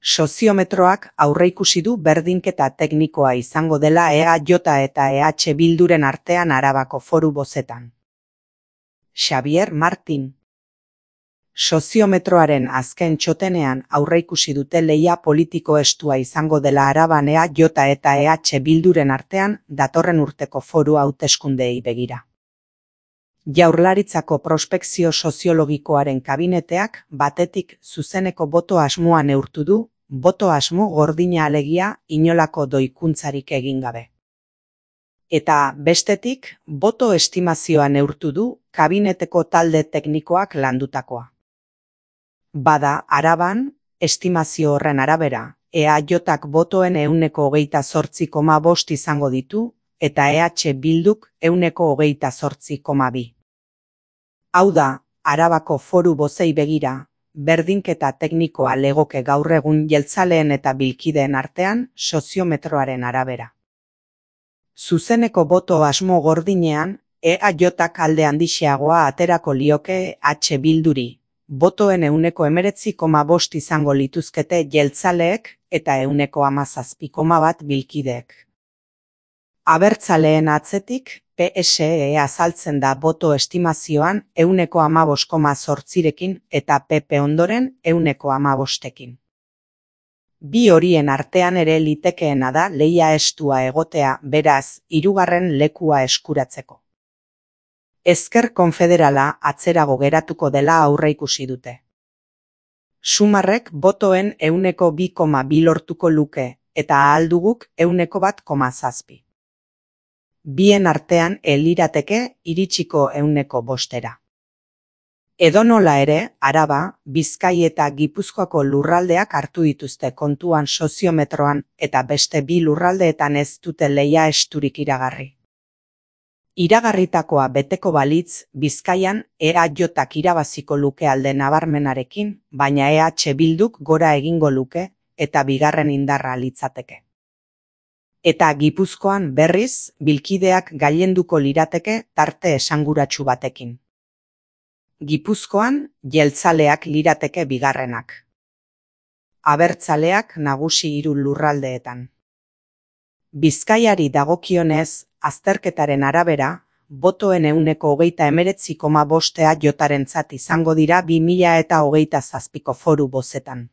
Soziometroak aurreikusi du berdinketa teknikoa izango dela EAJ eta EH Bilduren artean Arabako Foru Bozetan. Xabier Martin. Soziometroaren azken txotenean aurreikusi dute lehia politiko estua izango dela Araban EAJ eta EH Bilduren artean datorren urteko foru hauteskundeei begira. Jaurlaritzako prospekzio soziologikoaren kabineteak batetik zuzeneko boto asmoa neurtu du, boto asmo gordina alegia inolako doikuntzarik egin gabe. Eta bestetik, boto estimazioa neurtu du kabineteko talde teknikoak landutakoa. Bada, Araban, estimazio horren arabera, EAJak botoen 28,5 izango ditu, eta EH Bilduk 28,2. Hau da, Arabako Foru Bozei begira, berdinketa teknikoa legoke gaur egun jeltzaleen eta bilkideen artean soziometroaren arabera. Zuzeneko boto asmo gordinean, EAJak alde handixeagoa aterako lioke H Bilduri, botoen 19,5 izango lituzkete jeltzaleek eta 17,1 bilkideek. Abertzaleen atzetik, PSE azaltzen da boto estimazioan 15,8rekin eta PP ondoren 15,5ekin. Bi horien artean ere litekeena da lehia estua egotea, beraz, hirugarren lekua eskuratzeko. Ezker konfederala atzerago geratuko dela aurreikusi dute. Sumarrek botoen 2,2 lortuko luke eta ahalduguk 1,7. Bien artean lirateke iritsiko 1,5. Edonola ere, Araba, Bizkai eta Gipuzkoako lurraldeak hartu dituzte kontuan soziometroan eta beste bi lurraldeetan ez dute lehia esturik iragarri. Iragarritakoa beteko balitz, Bizkaian EAJak irabaziko luke alde nabarmenarekin, baina EH Bilduk gora egingo luke eta bigarren indarra litzateke. Eta Gipuzkoan berriz, bilkideak gailenduko lirateke tarte esanguratsu batekin. Gipuzkoan, jeltzaleak lirateke bigarrenak. Abertzaleak nagusi 3 lurraldeetan. Bizkaiari dagokionez, azterketaren arabera, botoen 29,5 EAJarentzat izango dira 2027ko Foru Bozetan.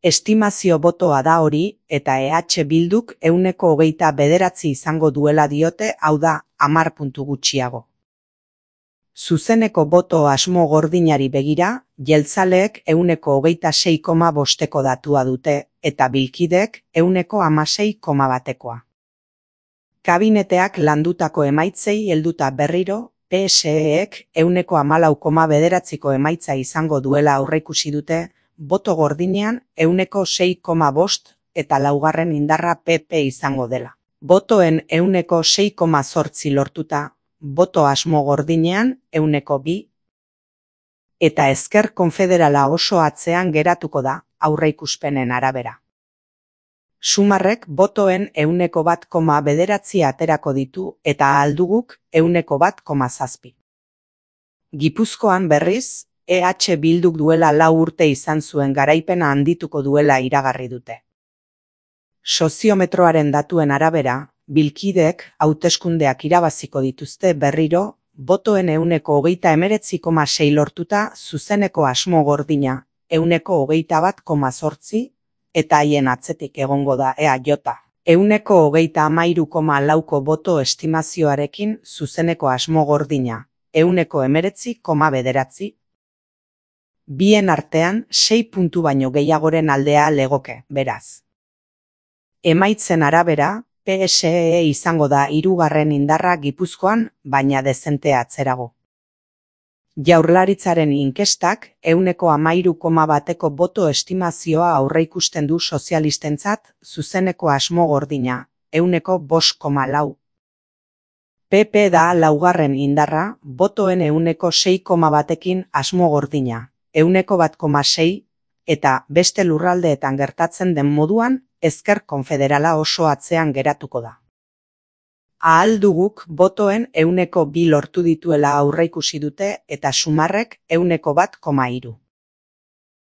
Estimazio botoa da hori eta EH Bilduk 29 izango duela diote, hau da, 10 puntu gutxiago. Zuzeneko boto asmo gordinari begira, jeltzaleek 26,5ko datua dute eta bilkideek 16,1koa. Kabineteak landutako emaitzei helduta berriro, PSEek 14,9ko emaitza izango duela aurreikusi dute, boto gordinean 6,5 eta laugarren indarra PP izango dela. Botoen 6,8 lortuta, boto asmo gordinean 2. Eta Ezker konfederala oso atzean geratuko da, aurreikuspenen arabera. Sumarrek botoen 1,9 aterako ditu eta ahalduguk 1,7. Gipuzkoan berriz, EH Bilduk duela 4 urte izan zuen garaipena handituko duela iragarri dute. Soziometroaren datuen arabera, bilkideek hauteskundeak irabaziko dituzte berriro, botoen 29,6 lortuta zuzeneko asmo gordina 121,8 eta haien atzetik egongo da EAJ. 133,4ko boto estimazioarekin zuzeneko asmo gordina 119,9. Bien artean 6 puntu baino gehiagoren aldea legoke, beraz. Emaitzen arabera, PSE izango da 3. indarra Gipuzkoan, baina dezente atzerago. Jaurlaritzaren inkestak 13,1ko boto estimazioa aurreikusten du sozialistentzat zuzeneko asmo gordina, 5,4. PP da 4. indarra, botoen 6,1ekin asmo gordina, 1,6, eta beste lurraldeetan gertatzen den moduan, Ezker konfederala oso atzean geratuko da. Ahalduguk botoen 2 lortu dituela aurreikusi dute eta Sumarrek 1,3.